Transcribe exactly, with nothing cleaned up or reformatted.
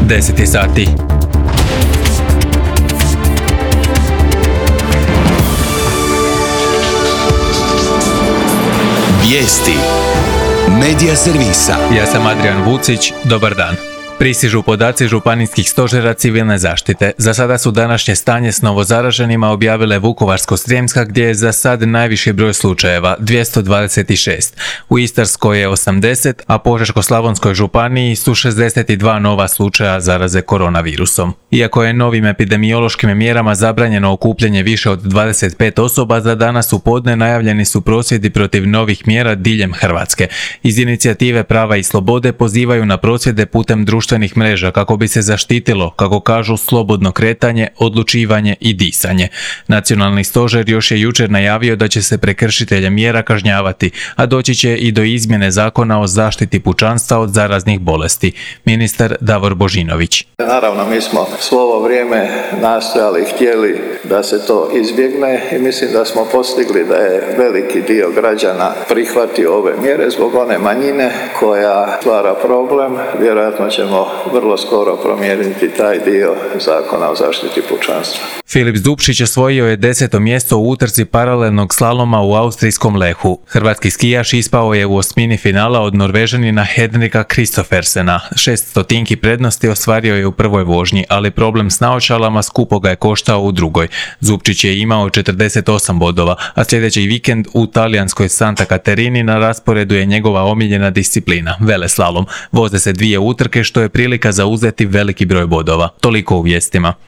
deset je sati. Vijesti Medija servisa. Ja sam Adrian Vucić, dobar dan. Pristižu podaci županijskih stožera civilne zaštite. Za sada su današnje stanje s novozaraženima objavile Vukovarsko-srijemska gdje je za sad najviši broj slučajeva, dvjesto dvadeset šest. U Istarskoj je osamdeset, a Požeško-slavonskoj županiji su šezdeset dva nova slučaja zaraze koronavirusom. Iako je novim epidemiološkim mjerama zabranjeno okupljanje više od dvadeset pet osoba, za danas u podne najavljeni su prosvjedi protiv novih mjera diljem Hrvatske. Iz inicijative Prava i slobode pozivaju na prosvjede putem društvenih mreža kako bi se zaštitilo, kako kažu, slobodno kretanje, odlučivanje i disanje. Nacionalni stožer još je jučer najavio da će se prekršitelje mjera kažnjavati, a doći će i do izmjene zakona o zaštiti pučanstva od zaraznih bolesti. Ministar Davor Božinović. Naravno, mi smo svo ovo vrijeme nastojali i htjeli da se to izbjegne i mislim da smo postigli da je veliki dio građana prihvatio ove mjere zbog one manjine koja stvara problem. Vjerojatno ćemo vrlo skoro promijeniti taj dio zakona o zaštiti pučanstva. Filip Zupčić osvojio je deseto mjesto u utrci paralelnog slaloma u austrijskom Lehu. Hrvatski skijaš ispao je u osmini finala od Norvežanina Henrika Kristoffersena. Šest stotinki prednosti ostvario je u prvoj vožnji, ali problem s naočalama skupo ga je koštao u drugoj. Zupčić je imao četrdeset osam bodova, a sljedeći vikend u talijanskoj Santa Caterini na rasporedu je njegova omiljena disciplina, veleslalom. Voze se dvije utrke što je prilika za uzeti veliki broj bodova. Toliko u vijestima.